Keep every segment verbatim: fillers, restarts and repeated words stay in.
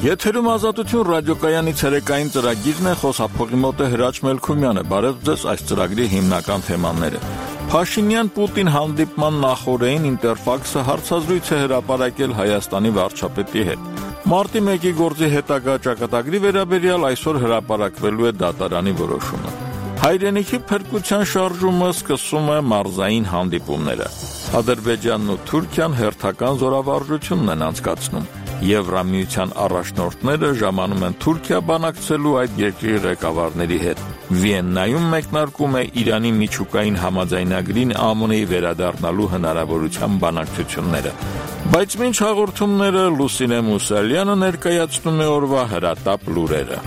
Եթերում ազատություն ռադիոկայանի ցերեկային ծրագիրն է, խոսափողի մոտ է Հրաչ Մելքումյանը։ Բարև ձեզ, այս ծրագրի հիմնական թեմաները։ Փաշինյան-Պուտին հանդիպման նախօրեին Ինտերֆաքսը հարցազրույց է հրապարակել Հայաստանի վարչապետի հետ։ Մարտի մեկի գործի հետագա ճակատագրի վերաբերյալ այսօր հրապարակվելու է դատարանի որոշումը։ Հայրենիքի փրկության շարժումը սկսում է մարզային հանդիպումները։ Ադրբեջանն ու Թուրքիան հերթական զորավարժությունն են անցկացնում։ Եվրամիության առաջնորդները ժամանում են Թուրքիա բանակցելու այդ երկրի ղեկավարների հետ։ Վիեննայում մեկնարկում է Իրանի միջուկային համաձայնագրին ԱՄՆ-ի վերադառնալու հնարավորության բանակցությունները։ Բայց մինչ հաղորդումները Լուսինե Մուսալյանը ներկայացնում է օրվա հրատապ լուրերը։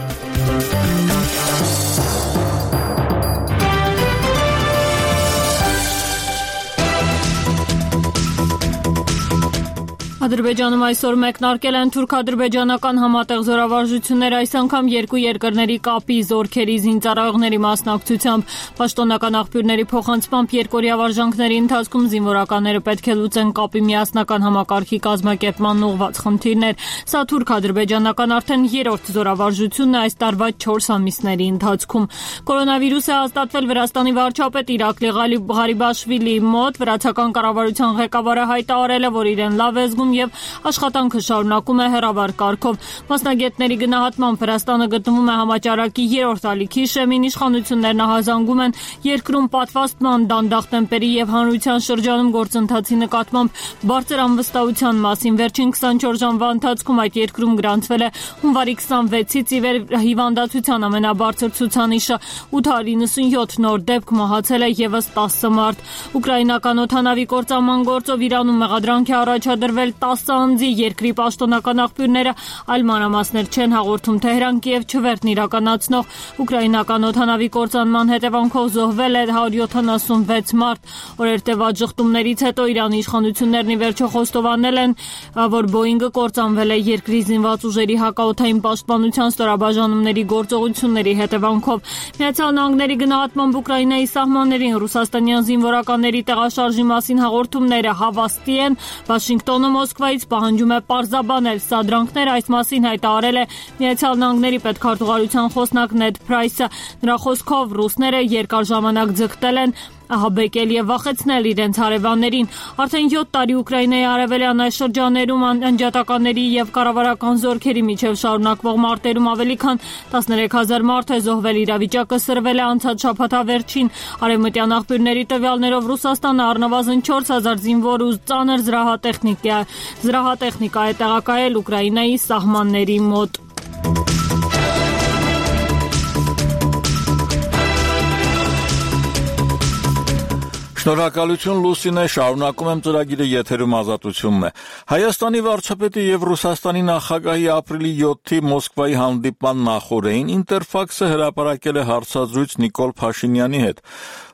Ադրբեջանում այսօր մեկնարկել են թուրք-ադրբեջանական համատեղ զորավարժություններ, այս անգամ երկու երկրների կապի, զորքերի, զինծառայողների մասնակցությամբ։ Պաշտոնական աղբյուրների փոխանցմամբ երկօրյա վարժանքների ընթացքում զինվորականները պետք է լուծեն կապի միասնական համակարգի կազմակերպման ուղղված խնդիրներ։ Սա թուրք-ադրբեջանական արդեն երրորդ զորավարժությունն է այս տարվա չորս ամիսների ընթացքում։ Կորոնավիրուս է հաստատվել Վրաստանի վարչապետ Իրակլի Ղարիբաշվիլիի մոտ։ Վրացական կառավարության ղեկավարը հայտարարել է, որ իրեն լավ է զգում եւ աշխատանքը շարունակում է հեռավար կարգով։ Մասնագետների գնահատմամբ Վրաստանը գտնվում է համաճարակի երրորդ ալիքի շեմին, իշխանություններն ահազանգում են երկրում պատվաստման, դանդաղ տեմպերի եւ հանրության շրջանում գործընթացի նկատմամբ բարձր անվստահության մասին։ Վերջին քսանչորս ժամվա ընթացքում այդ երկրում գրանցվել է հունվարի քսանվեցից ի վեր հիվանդացության ամենաբարձր ցուցանիշը, ութ հարյուր նվսանյոթ նոր դեպք, մահացել է եւս տասը մարդ։ Ուկրաինական օդանավի կործանման գործով Իրանում մեղադրանք է առաջադրվել տասը անձի, երկրի պաշտոնական աղբյուրները այլ մանրամասներ չեն հաղորդում։ Թեհրան Կիև չվերթն իրականացնող ուկրաինական օդանավի կործանման հետևանքով զոհվել է հարյուր յոթանասունվեց մարդ։ Օրերտեված ժխտումներից հետո Իրանի իշխանություններն ի վերջո խոստովանել են, որ Բոինգը կործանվել է երկրի զինված ուժերի հակաօդային պաշտպանության ստորաբաժանումների գործողությունների հետևանքով։ Միացյալ Նահանգների գնահատմամբ Ուկրաինայի սահմաններին ռուսաստանյան զինվորականների տեղաշարժի մասին հաղորդումները հավաստի են։ Վաշինգտոնը Մոսկվայից պահանջում է պարզաբանել սադրանքները, այս մասին հայտարարել է Միացյալ Նահանգների պետքարտուղարության խոսնակ Նեդ Փրայսը։ Նրա խոսքով ռուսները երկար ժամանակ ձգտել են ահաբեկել եւ վախեցնել իրենց հարևաններին։ Արդեն յոթ տարի Ուկրաինայի արևելյան այս շրջաներում անջատականների եւ կառավարական զորքերի միջև շարունակվող մարտերում ավելի քան տասներեք հազար մարդ է զոհվել, իրավիճակը սրվել է անցած շաբաթավերջին։ Արևմտյան աղբյուրների տվյալներով Ռուսաստանը առնվազն չորս հազար զինվոր ու ծանր զրահատեխնիկա զրահատեխնիկա է տեղակայել Ուկրաինայի սահմանների մոտ։ Շնորհակալություն Լուսինե, շարունակում եմ ծրագիրը, եթերում ազատությունն է։ Հայաստանի վարչապետի եւ Ռուսաստանի նախագահի ապրիլի յոթի Մոսկվայի հանդիպման նախօրեին Ինտերֆաքսը հրապարակել է հարցազրույց Նիկոլ Փաշինյանի հետ։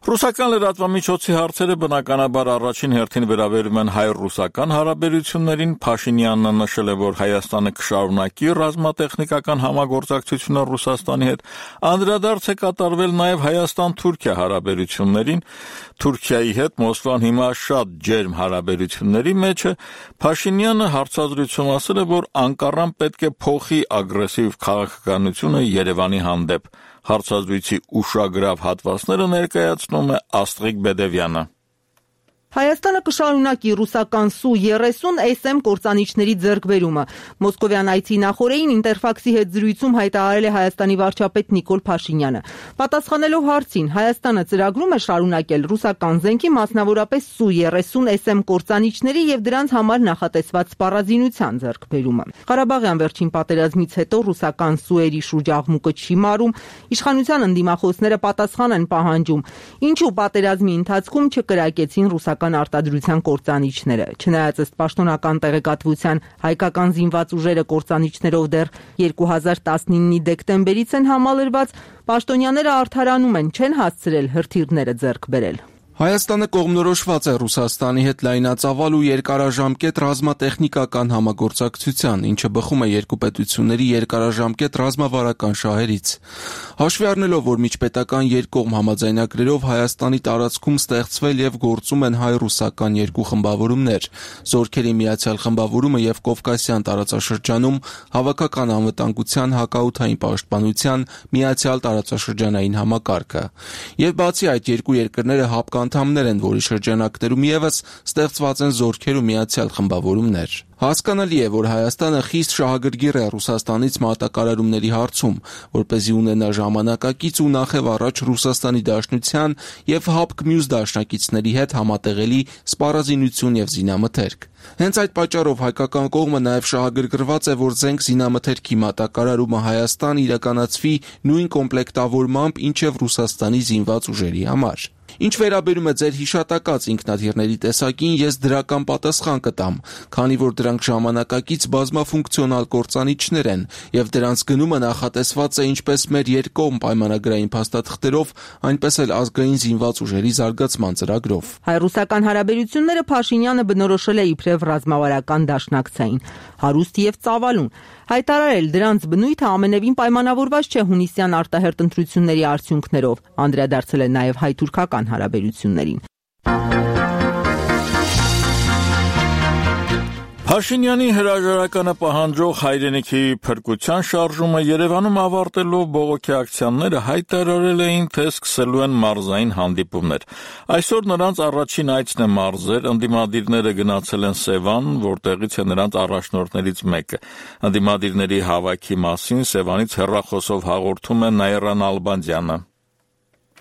Ռուսական լրատվամիջոցի հարցերը բնականաբար առաջին հերթին վերաբերում են հայ-ռուսական հարաբերություններին։ Փաշինյանն նշել է, որ Հայաստանը կշարունակի ռազմատեխնիկական համագործակցությունը Ռուսաստանի հետ։ Անդրադարձ է կատարվել նաև Հայաստան-Թուրքիա հարաբերություններին։ Թուրքիայի հետ Մոսկվան հիմա շատ ջերմ հարաբերությունների մեջ է։ Փաշինյանը հարցազրույցում ասել է, որ Անկարան պետք է փոխի ագրեսիվ քաղաքականությունը Երևանի հանդեպ։ Հարցազրույցի ուշագրավ հատվածները ներկայացնում է Աստղիկ Բեդևյանը։ Հայաստանը կշարունակի ռուսական Սու երեսուն էս էմ կործանիչների ձեռքբերումը։ Մոսկովյան այցի նախօրեին Ինտերֆաքսի հետ զրույցում հայտարարել է Հայաստանի վարչապետ Նիկոլ Փաշինյանը։ Պատասխանելով հարցին, Հայաստանը ծրագրում է շարունակել ռուսական զենքի, մասնավորապես Սու երեսուն էս էմ կործանիչների եւ դրանց համար նախատեսված սպառազինության ձեռքբերումը։ Ղարաբաղյան վերջին պատերազմից հետո ռուսական Սուերի շուրջաղմուկը չի մարում, իշխանության ընդդիմախոսները պատասխան են պահանջում, ինչու պատերազմի ընթացքում չկրակեցին ռուսական արտադրության կործանիչները։ Չնայած ըստ պաշտոնական տեղեկատվության հայկական զինված ուժերը կործանիչներով դեռ երկու հազար տասնինի դեկտեմբերից են համալրված, պաշտոնյաները արդարանում են, չեն հասցրել հրթիռները ձեռք բերել։ Հայաստանը կողմնորոշված է Ռուսաստանի հետ լայնածավալ ու երկարաժամկետ ռազմատեխնիկական համագործակցության, ինչը բխում է երկու պետությունների երկարաժամկետ ռազմավարական շահերից։ Հաշվի առնելով, որ միջպետական երկկողմ համաձայնագրերով Հայաստանի տարածքում ստեղծվել եւ գործում են հայ-ռուսական երկու խմբավորումներ՝ Զորքերի միացյալ խմբավորումը եւ Կովկասյան տարածաշրջանում հավաքական անվտանգության, հակաօդային պաշտպանության միացյալ տարածաշրջանային համակարգը։ Եվ բացի այդ, երկու երկրները հապկ անդամներ են, որի շրջանակներում եւս ստեղծված են Զորքեր ու միացյալ խմբավորումներ։ Հասկանալի է, որ Հայաստանը խիստ շահագրգիռ է Ռուսաստանից մատակարարումների հարցում, որպեսզի ունենա ժամանակակից ու նախև առաջ Ռուսաստանի Դաշնության եւ հապկ մյուս դաշնակիցների հետ համատեղելի սպառազինություն եւ զինամթերք։ Հենց այդ պատճառով հայկական կողմը նաեւ շահագրգռված է, որ զենք զինամթերքի մատակարարումը Հայաստան իրականացվի նույն կոմպլեկտավորմամբ, ինչև Ռուսաստանի զինված ուժերի համար։ Ինչ վերաբերում է ձեր հիշատակած ինքնաթիռների տեսակին, ես դրական պատասխան կտամ, քանի որ դրանք ժամանակակից բազմաֆունկցիոնալ կործանիչներ են, եւ դրանց գնումը նախատեսված է ինչպես մեր երկկողմ պայմանագրային փաստաթղթերով, այնպես էլ ազգային զինված ուժերի զարգացման ծրագրով։ Հայ-ռուսական հարաբերությունները Փաշինյանը բնորոշել է իբրև ռազմավարական դաշնակցային, հարուստ եւ ծավալուն։ Հայտարարել դրանց բնույթը ամենևին պայմանավորված չէ հունիսյան արտահերտ ընտրությունների արդյունքներով, անդրադարձել է նաև հայ-թուրքական հարաբերություններին։ Փաշինյանի հրաժարականը պահանջող հայրենիքի փրկության շարժումը Երևանում ավարտելով բողոքի ակցիաները հայտարարել էին, թե սկսելու են մարզային հանդիպումներ։ Այսօր նրանց առաջին այցն է մարզեր, ընդդիմադիրները գնացել են Սևան, որտեղից է նրանց առաջնորդներից մեկը։ Ընդդիմադիրների հավաքի մասին Սևանից հեռախոսով հաղորդում է Նաիրա Նալբանդյանը։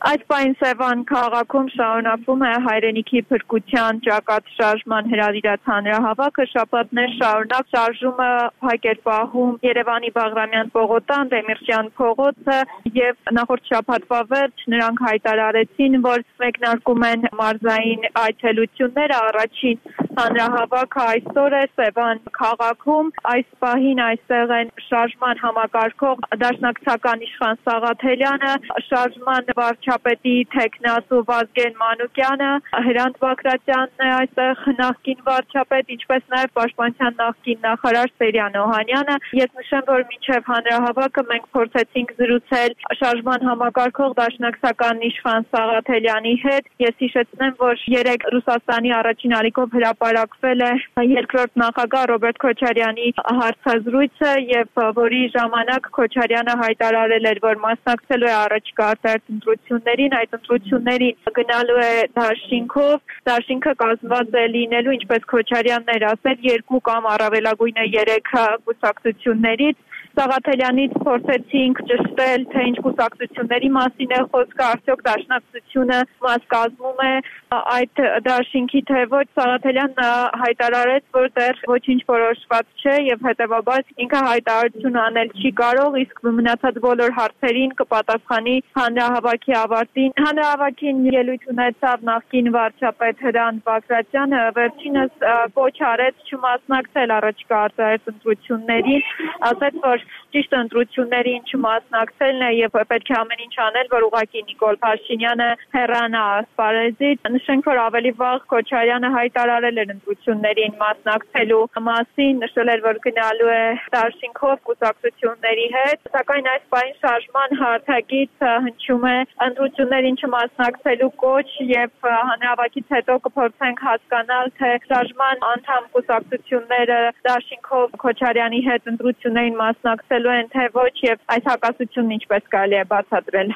Այդ պայն Սևան քաղաքում շարունակվում է հայրենիքի փրկության ճակատ շարժման հրավիրած հանրահավաքը, շաբաթներ շարունակ շարժումը փակ էր պահում Երևանի Բաղրամյան պողոտան, Դեմիրճյան փողոցը եւ նախորդ շաբաթվա վերջ նրանք հայտարարեցին, որ մեկնարկում են մարզային այցելությունները, առաջին հանրահավաքը այսօր է Սևան քաղաքում, այս պահին այստեղ են շարժման համակարգող դաշնակցական Իշխան Սաղաթելյանը, շարժման վարչապետի թեկնածու Վազգեն Մանուկյանը, Հրանտ Բագրատյանն է այստեղ նախկին վարչապետ, ինչպես նաև պաշտպանության նախկին նախարար Սերյան Օհանյանը։ Ես նշեմ, որ մինչև հանրահավաքը մենք փորձեցինք զրուցել շարժման համակարգող դաշնակցական Իշխան Սաղաթելյանի հետ։ Ես հիշեցնեմ, որ երեք Ռուսաստանի առաջին ալիքով հրապարակվել է երկրորդ նախագահ Ռոբերտ Քոչարյանի հարցազրույցը եւ որի ժամանակ Քոչարյանը հայտարարել էր, որ մասնակցելու է առաջիկա արտահերթ ընտրություններին, այդ ընտրություններին գնալու է դաշինքով, դաշինքը կազմված է լինելու, ինչպես Քոչարյանն էր ասել, երկու կամ առավելագույնը երեք կուսակցություններից։ Սաղաթելյանից փորձեցինք ճշտել, թե ինչ կուսակցությունների մասին է խոսքը, արդյոք դաշնակցությունը մաս կազմում է այդ դաշինքի, թե ոչ։ Սաղաթելյանն հայտարարեց, որ դեռ ոչինչ որոշված չէ եւ հետեւաբար ինքը հայտարարություն անել չի կարող, իսկ մնացած բոլոր հարցերին կպատասխանի հանրահավաքի ավարտին։ Հանրահավաքին ելույթ ունեցավ նախկին վարչապետ Հրանտ Բագրատյանը, վերջինս կոչ արեց չմասնակցել առաջիկա արտահերթ ընտրություններին, ասաց, որ ճիշտ ընտրություններին չմասնակցելն է եւ պետք է ամեն ինչ անել, որ ուղղակի Նիկոլ Փաշինյանը հեռանա ասպարեզից։ Նշենք, որ ավելի վաղ Քոչարյանը հայտարարել էր ընտրություններին մասնակցելու մասին, նշել էր, որ գնալու է դաշինքով կուսակցությունների հետ, սակայն այս պահին շարժման հարթակից հնչում է ընտրություններին չմասնակցելու կոչ եւ հանրահավաքից հետո կփորձենք հասկանալ, թե շարժման անդամ կուսակցությունները դաշինքով Քոչարյանի հետ ընտրություններին մասնակցելու են, թե ոչ եւ այս հակասությունն ինչպես կարելի է բացատրել։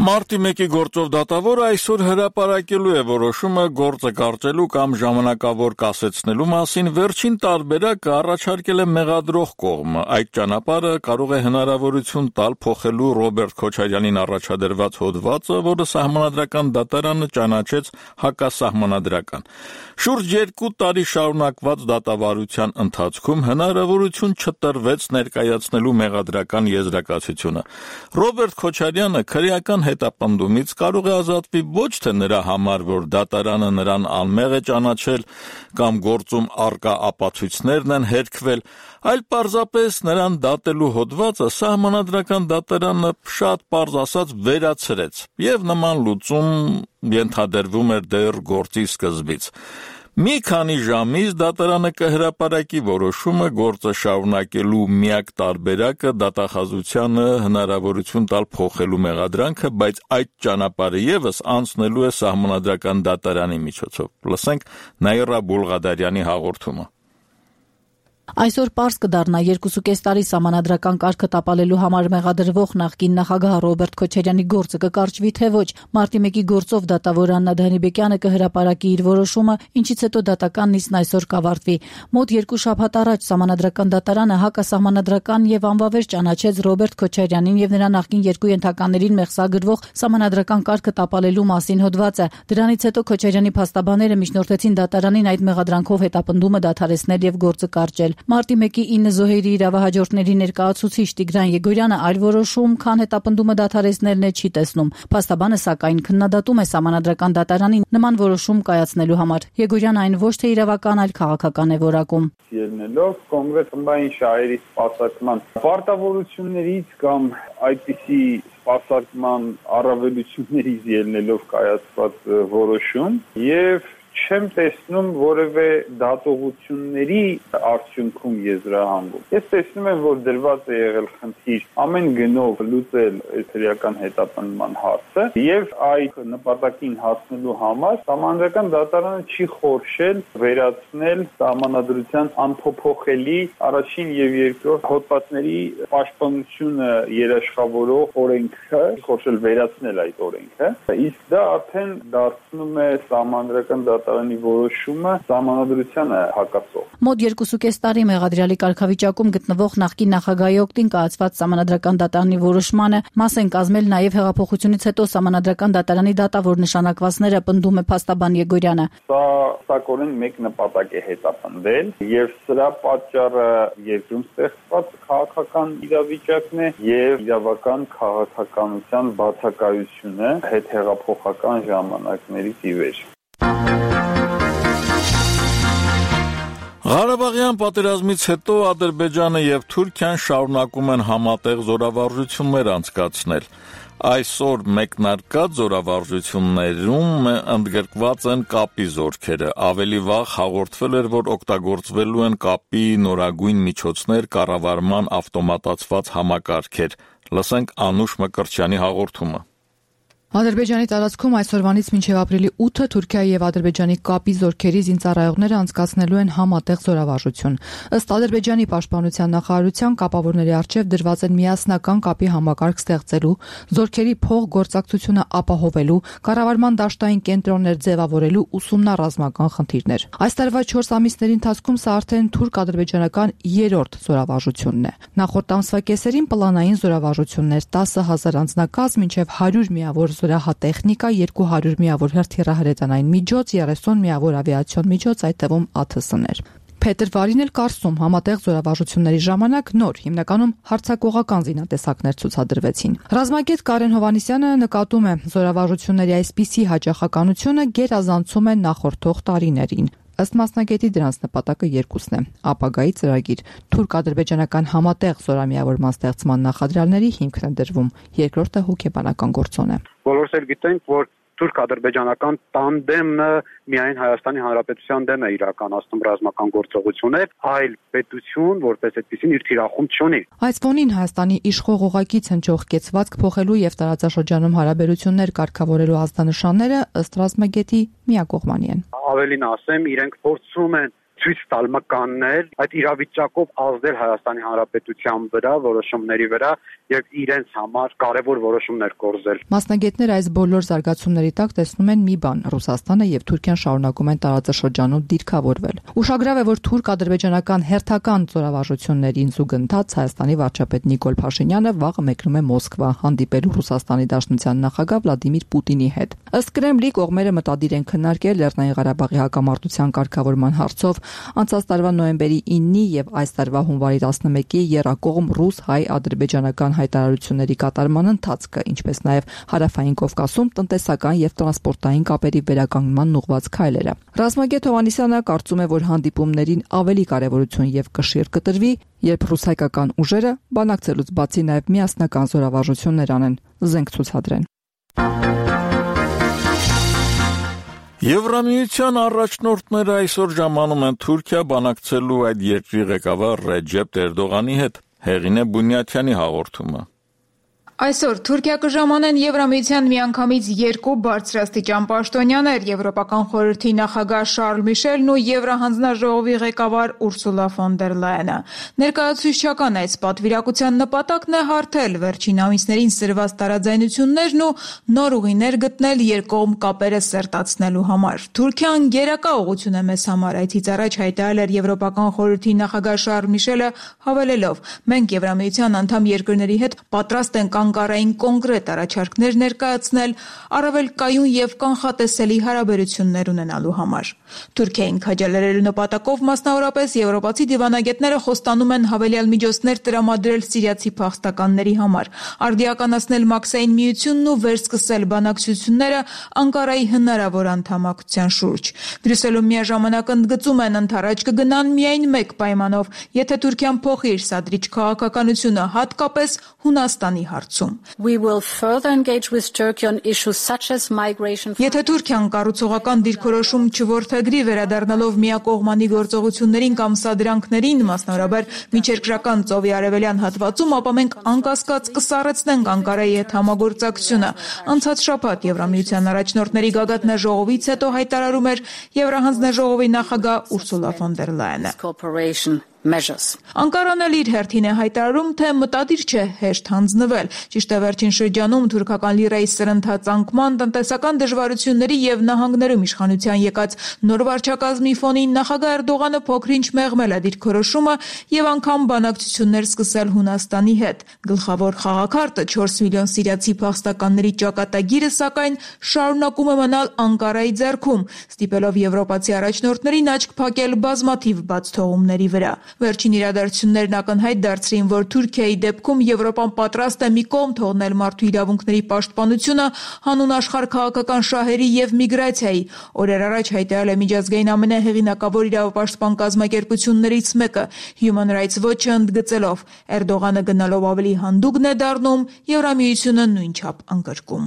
Մարտի մեկի գործով դատավորը այսօր հրապարակելու է որոշումը գործը կարճելու կամ ժամանակավոր կասեցնելու մասին, վերջին տարբերակը առաջարկել է մեղադրող կողմը։ Այդ ճանապարհը կարող է հնարավորություն տալ փոխելու Ռոբերտ Քոչարյանին առաջադրված հոդվածը, որը Սահմանադրական դատարանը ճանաչեց հակասահմանադրական։ Շուրջ երկու տարի շարունակված դատավարության ընթացքում հնարավորություն չտրվեց ներկայացնելու մեղադրական եզրակացությունը։ Ռոբերտ Քոչարյանը քրեական հետապնդումից կարող է ազատվի ոչ թե նրա համար, որ դատարանը նրան անմեղ է ճանաչել կամ գործում առկա ապացույցներն են հերքվել, այլ պարզապես նրան դատելու հոդվածը սահմանադրական դատարանը շատ պարզ ասած վերացրեց, եւ նման լուծում ենթադրվում էր դեռ գործի սկզբից։ Մի քանի ժամից դատարանը կհրապարակի որոշումը գործը շարունակելու միակ տարբերակը դատախազությանը հնարավորություն տալ փոխելու մեղադրանքը, բայց այդ ճանապարհը եւս անցնելու է սահմանադրական դատարանի միջոցով։ Լսենք Նաիրա Բուլղադարյանի հաղորդումը։ Այսօր պարզ կդառնա երկուսուկես տարի սահմանադրական կարգը տապալելու համար մեղադրվող նախկին նախագահ Ռոբերտ Քոչարյանի գործը կկարճվի թե ոչ։ Մարտի մեկի գործով դատավոր Աննա Դանիբեկյանը կհրապարակի իր որոշումը, ինչից հետո դատական նիստն այսօր կավարտվի։ Մոտ երկու շաբաթ առաջ սահմանադրական դատարանը հակասահմանադրական եւ անվավեր ճանաչեց Ռոբերտ Քոչարյանին եւ նրա նախկին երկու ենթականերին մեղսագրվող սահմանադրական կարգը տապալելու մասին հոդվածը։ Դրանից հետո Քոչարյանի փաստաբանները միջնորդեցին դատարանին այդ մեղադրանքով հետապնդումը դադարեցնել եւ գործը կարճել։ Մարտի մեկի ինը զոհերի իրավահաջորդների ներկայացուցիչ Տիգրան Եգորյանը այլ որոշում, քան հետապնդումը դադարեցնելն է, չի տեսնում։ Փաստաբանը սակայն քննադատում է սահմանադրական դատարանին նման որոշում կայացնելու համար։ Եգորյանը այն ոչ թե իրավական, այլ քաղաքական է որակում։ Ելնելով կոնկրետ խմբային շահերի սպասարկման պարտավորություններից կամ այդպիսի սպասարկման առավելություններից ելնելով կայացված որոշում եւ չեմ տեսնում որևէ դատողությունների արդյունքում եզրահանգում։ Ես տեսնում եմ, որ դրված է եղել խնդիր ամեն գնով լուծել էթերիական հետապնդման հարցը եւ այդ նպատակին հասնելու համար սահմանադրական դատարանը չի խորշել վերացնել սահմանադրության անփոփոխելի առաջին եւ երկրորդ հոդվածների պաշտպանությունը երաշխավորող օրենքը, խորշել վերացնել այդ օրենքը։ Իսկ դա արդեն դարձնում է սահմանադրական դատարանի որոշումը սահմանադրությանը հակասող։ Մոտ երկուսուկես տարի մեղադրյալի կարգավիճակում գտնվող նախկին նախագահի օգտին կայացված սահմանադրական դատարանի որոշմանը մաս են կազմել նաև հեղափոխությունից հետո սահմանադրական դատարանի դատավոր նշանակվածները, պնդում է փաստաբան Եգորյանը։ Սա սակորեն մեկ նպատակ է հետապնդել եւ սրա պատճառը երկրում ստեղծված քաղաքական իրավիճակն է եւ իրավական քաղաքականության բացակայությունը հետհեղափոխական ժամանակներից ի վեր։ Ղարաբաղյան պատերազմից հետո Ադրբեջանը եւ Թուրքիան շարունակում են համատեղ զորավարժություններ անցկացնել։ Այսօր մեկնարկած զորավարժություններում ընդգրկված են կապի զորքերը։ Ավելի վաղ հաղորդվել էր, որ օգտագործվելու են կապի նորագույն միջոցներ, կառավարման ավտոմատացված համակարգեր։ Լսենք Անուշ Մկրտչյանի հաղորդումը։ Ադրբեջանի տարածքում այսօրվանից մինչև ապրիլի ութը Թուրքիայի եւ Ադրբեջանի կապի զորքերի զինծառայողները անցկացնելու են համատեղ զորավարժություն։ Ըստ Ադրբեջանի պաշտպանության նախարարության կապավորների առջև դրված են միասնական կապի համակարգ ստեղծելու, զորքերի փոխգործակցությունը ապահովելու, կառավարման դաշտային կենտրոններ ձևավորելու ուսումնառազմական խնդիրներ։ Այս տարվա չորս ամիսների ընթացքում սա արդեն թուրք-ադրբեջանական երրորդ զորավարժությունն է։ Նախորդ ամսվա կեսերին պլանային զորավարժություններ տասը հազար անձնակազմ մինչև հարյուր միավոր զորահատեխնիկա, երկու հարյուր միավոր հրթիռահրետանային միջոց, երեսուն միավոր ավիացիոն միջոց, այդ թվում ա թ ս-ներ։ Փետր Վարին էլ կարծում համատեղ զորավարժությունների ժամանակ նոր, հիմնականում հարձակողական զինատեսակներ ցուցադրվեցին։ Ռազմագետ Կարեն Հովանիսյանը նկատում է, զորավարժությունների այսպիսի հաճախականությունը գերազանցում է նախորդող տարիներին։ Ըստ մասնագետի դրանց նպատակը երկուսն է՝ ապագայի ծրագիր։ Թուրք-ադրբեջանական համատեղ զորամիավորման ստեղծման նախադրյալների հիմքն է դրվում, երկրորդը հոգեբանական գործոն է։ Բոլորս էլ գիտենք, որ թուրք-ադրբեջանական տանդեմը միայն Հայաստանի Հանրապետության դեմ է իրականացնում ռազմական գործողություններ, այլ պետություն, որպես այդպեսին իր թիրախում չունի։ Այս ֆոնին Հայաստանի իշխող ուղղակից հնչող կեցվածք փոխելու եւ տարածաշրջանում հարաբերություններ կարգավորելու ազդանշանները ըստ ռազմագետի միակողմանի են։ Ավելին ասեմ, իրենք փորձում են ցույց տալ մկաններ, այդ իրավիճակով ազդել Հայաստանի Հանրապետության վրա, որոշումների վրա եւ իրենց համար կարեւոր որոշումներ կորզել։ Մասնագետները այս բոլոր զարգացումների տակ տեսնում են մի բան՝ Ռուսաստանը եւ Թուրքիան շարունակում են տարածաշրջանում դիրքավորվել։ Ուշագրավ է, որ թուրք-ադրբեջանական հերթական զորավարժություններին զուգընթաց Հայաստանի վարչապետ Նիկոլ Փաշինյանը վաղը մեկնում է Մոսկվա հանդիպելու Ռուսաստանի Դաշնության նախագահ Վլադիմիր Պուտինի հետ։ Ըստ Կրեմլի կողմերը մտադիր են քննարկել Լեռնային Ղարաբաղի հակամարտության կարգավորման հարցով Անցած տարվա նոյեմբերի իննի եւ այս տարվա հունվարի տասնմեկի եռակողմ ռուս-հայ-ադրբեջանական հայտարարությունների կատարման ընթացքը, ինչպես նաեւ Հարավային Կովկասում տնտեսական եւ տրանսպորտային կապերի վերականգնման ուղղված քայլերը։ Ռազմագետ Հովհաննիսյանը կարծում է, որ հանդիպումներին ավելի կարեւորություն եւ կշիռ կտրվի, երբ ռուսայկական ուժերը բանակցելուց բացի նաև միասնական զորավարժություններ անեն, զենք ցուցադրեն։ Եվրամիության առաջնորդները այսօր ժամանում են Թուրքիա բանակցելու այդ երկրի ղեկավար Ռեջեփ Էրդողանի հետ, հեղին է Բունյաթյանի հաղորդումը։ Այսօր Թուրքիա կժամանեն Եվրամիության միանգամից երկու բարձրաստիճան պաշտոնյաներ՝ Եվրոպական խորհրդի նախագահ Շարլ Միշելն ու Եվրահանձնաժողովի ղեկավար Ուրսուլա ֆոն դեր Լայենը։ Ներկայացուցչական այս պատվիրակության նպատակն է հարթել վերջին ամիսներին սրված տարաձայնություններն ու նոր ուղիներ գտնել երկկողմ կապերը սերտացնելու համար։ Թուրքիան գերակա ուղղություն է մեզ համար, այդից առաջ հայտարարել էր Եվրոպական խորհրդի նախագահ Շարլ Միշելը, հավելելով. «Մենք Եվրամիության անդամ երկրների հետ պատրաստ ենք Անկարային կոնկրետ առաջարկներ ներկայացնել առավել կայուն եւ կանխատեսելի հարաբերություններ ունենալու համար»։ Թուրքիային քաջալերելու նպատակով մասնավորապես եվրոպացի դիվանագետները խոստանում են հավելյալ միջոցներ տրամադրել սիրիացի փախստականների համար, արդիականացնել Մաքսային միությունն ու վերսկսել բանակցությունները Անկարայի հնարավոր անդամակցության շուրջ։ Բրյուսելում միաժամանակ ընդգծում են ընդառաջ կգնան միայն մեկ պայմանով, եթե Թուրքիան փոխի իր սադրիչ քաղաքականությունը, հատկապես Հունաստանի հարցում։ Եթե Թուրքիան կառուցողական դիրքորոշում չորդեգրի վերադառնալով միակողմանի գործողություններին կամ սադրանքներին, մասնավորաբար միջերկրական ծովի արևելյան հատվածում, ապա մենք անկասկած կսառեցնենք Անկարայի հետ համագործակցությունը։ Անցած շաբաթ Եվրամիության առաջնորդների գագաթնաժողովից հետո հայտարարում էր Եվրահանձնաժողովի նախագահ Ուրսուլա ֆոն դեր Լայենը։ Անկարան էլ իր հերթին է հայտարարում, թե մտադիր չէ հեշտ հանձնվել։ Ճիշտ է, վերջին շրջանում թուրքական լիրայի սրընթաց անկման, տնտեսական դժվարությունների եւ նահանգներում իշխանության եկած նոր վարչակազմի ֆոնին նախագահ Էրդողանը փոքրինչ մեղմել է դիրքորոշումը եւ անգամ բանակցություններ սկսել Հունաստանի հետ։ Գլխավոր խաղաքարտը չորս միլիոն սիրիացի փախստականների ճակատագիրը, սակայն, շարունակում է մնալ Անկարայի ձեռքում, ստիպելով եվրոպացի առաջնորդներին աչք փակել բազմաթիվ բաց թողումների վրա։ Վերջին իրադարձություններն ակնհայտ դարձրին, որ Թուրքիայի դեպքում Եվրոպան պատրաստ է մի կողմ թողնել մարդու իրավունքների պաշտպանությունը հանուն աշխարհ քաղաքական շահերի եւ միգրացիայի։ Օրեր առաջ հայտարարել է միջազգային ամենահեղինակավոր իրավապաշտպան կազմակերպություններից մեկը՝ Human Rights Watch-ը, ընդգծելով. «Էրդողանը գնալով ավելի հանդուգն է դառնում, Եվրամիությունը նույնչափ անկրկում»։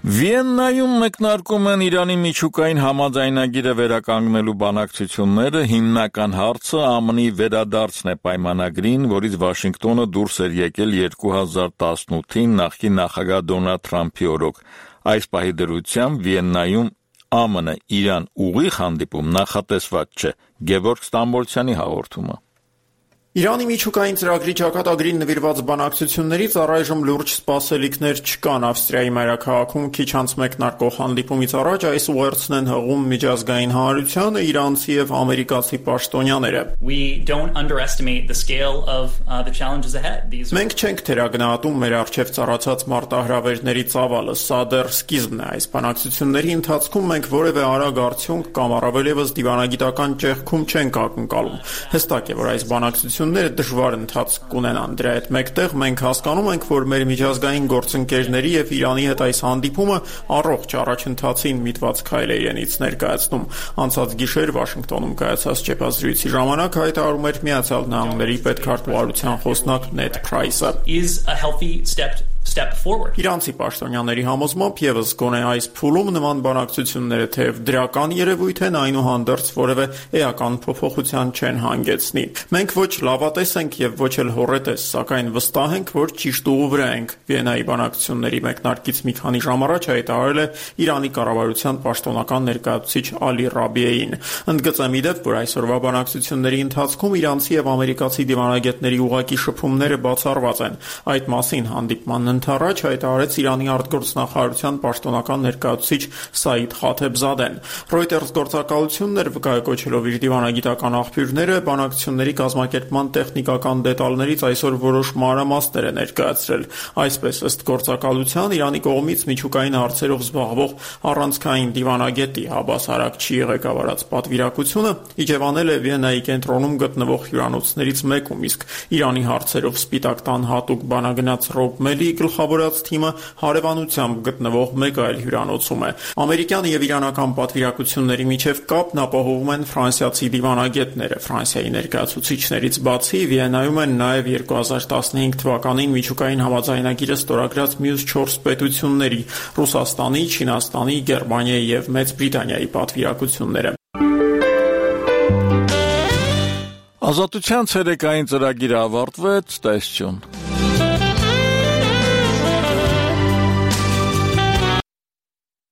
Վիեննայում մեկնարկում են Իրանի միջուկային համաձայնագիրը վերականգնելու բանակցությունները, հիմնական հարցը ԱՄՆ-ի վերադարձն է պայմանագրին, որից Վաշինգտոնը դուրս էր եկել երկու հազար տասնութին նախկին նախագահ Դոնալդ Թրամփի օրոք։ Այս պահի դրությամբ Վիեննայում ԱՄՆ Իրան ուղիղ հանդիպում նախատեսված չէ։ Գևորգ Ստամբոլցյանի հաղորդումը։ Իրանի միջուկային ծրագրի ճակատագրին նվիրված բանակցություններից առայժմ լուրջ սպասելիքներ չկան։ Ավստրիայի մայրաքաղաքում քիչ անց մեկնարկող հանդիպումից առաջ այս ուղերձն են հղում միջազգային հանրությանը իրանցի եւ ամերիկացի պաշտոնյաները։ Մենք չենք թերագնահատում մեր առջև ծառացած մարտահրավերների ծավալը, սա դեռ սկիզբն է։ Այս բանակցությունների ընթացքում մենք որևէ արագ արդյունք կամ առավել եւս դիվանագիտական ճեղքում չենք ակնկալում։ Հստակ է, որ այս բանակցությունները դժվար ընթացք կունենան։ Դրա հետ մեկտեղ մենք հասկանում ենք, որ մեր միջազգային գործընկերների եւ Իրանի հետ այս հանդիպումը առողջ առաջընթացին միտված քայլ է իրենից ներկայացնում։ Անցած գիշեր Վաշինգտոնում կայացած ճեպազրույցի ժամանակ հայտարարում էր Միացյալ Նահանգների պետքարտուղարության խոսնակ Նեդ Փրայսը։ Իրանցի պաշտոնյաների համոզմամբ եւս գոնե այս փուլում նման բանակցությունները թեև դրական երևույթ են, այնուհանդերձ որևէ էական փոփոխության չեն հանգեցնի։ Մենք ոչ լավատես ենք եւ ոչ էլ հոռետես, սակայն վստահ ենք, որ ճիշտ ուղու վրա ենք։ Վիեննայի բանակցությունների մեկնարկից մի քանի ժամ առաջ հայտարարել է Իրանի կառավարության պաշտոնական ներկայացուցիչ Ալի Ռաբիեին։ Ընդգծեմ իդեպ, որ այսօրվա բանակցությունների ընթացքում իրանցի եւ ամերիկացի դիվանագետների ուղղակի շփումները բացառված են։ Այդ մասին հանդիպման ամիսանց առաջ հայտարարեց Իրանի արտգործնախարարության պաշտոնական ներկայացուցիչ Սաիդ Խաթեբզադեն։ Reuters գործակալությունն էր վկայակոչելով իր դիվանագիտական աղբյուրները, բանակցությունների կազմակերպման տեխնիկական դետալներից այսօր որոշ մանրամասներ է ներկայացրել։ Այսպես, ըստ գործակալության, Իրանի կողմից միջուկային հարցերով զբաղվող առանցքային դիվանագետի Հաբաս Արաքչիի ղեկավարած պատվիրակությունը իջևանել է Վիեննայի կենտրոնում գտնվող հյուրանոցներից մեկում, իսկ Իրանի հարցերով Սպիտակ տան հատուկ բանագնաց Ռոբ Մելի գլխավորած թիմը հարևանությամբ գտնվող մեկ այլ հյուրանոցում է։ Ամերիկյան եւ իրանական պատվիրակությունների միջև կապն ապահովում են ֆրանսիացի դիվանագետները։ Ֆրանսիայի ներկայացուցիչներից բացի Վիեննայում են նաև երկու հազար տասնհինգ թվականին միջուկային համաձայնագիրը ստորագրած մյուս չորս պետությունների՝ Ռուսաստանի, Չինաստանի, Գերմանիայի եւ Մեծ Բրիտանիայի պատվիրակությունները։ Ազատության ցերեկային ծրագիրը ավարտվեց, տեսություն։